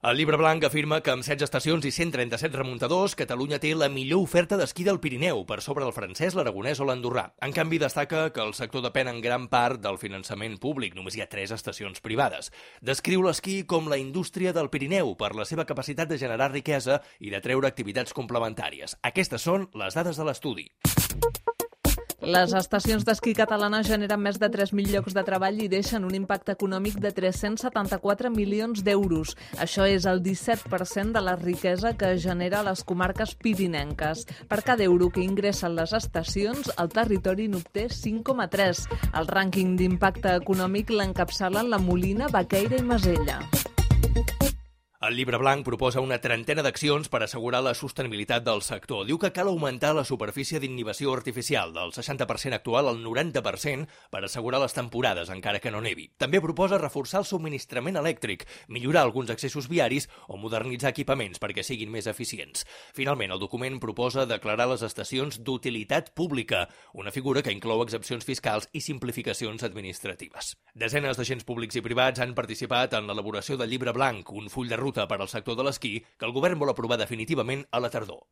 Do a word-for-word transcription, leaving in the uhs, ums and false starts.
El Llibre Blanc afirma que amb setze estacions i cent trenta-set remuntadors, Catalunya té la millor oferta d'esquí del Pirineu, per sobre del francès, l'aragonès o l'andorrà. En canvi, destaca que el sector depèn en gran part del finançament públic. Només hi ha tres estacions privades. Descriu l'esquí com la indústria del Pirineu per la seva capacitat de generar riquesa i de treure activitats complementàries. Aquestes són les dades de l'estudi. Les estacions d'esquí catalanes generen més de tres mil llocs de treball i deixen un impacte econòmic de tres-cents setanta-quatre milions d'euros. Això és el disset per cent de la riquesa que genera les comarques pirinenques. Per cada euro que ingressen les estacions, el territori n'obté cinc coma tres. El rànquing d'impacte econòmic l'encapçalen la Molina, Baqueira i Masella. El Llibre Blanc proposa una trentena d'accions per assegurar la sostenibilitat del sector. Diu que cal augmentar la superfície d'inhibició artificial del seixanta per cent actual al noranta per cent per assegurar les temporades, encara que no nevi. També proposa reforçar el subministrament elèctric, millorar alguns accessos viaris o modernitzar equipaments perquè siguin més eficients. Finalment, el document proposa declarar les estacions d'utilitat pública, una figura que inclou exempcions fiscals i simplificacions administratives. Desenes d'agents públics i privats han participat en l'elaboració del Llibre Blanc, un full de ruta per al sector de l'esquí que el govern vol aprovar definitivament a la tardor.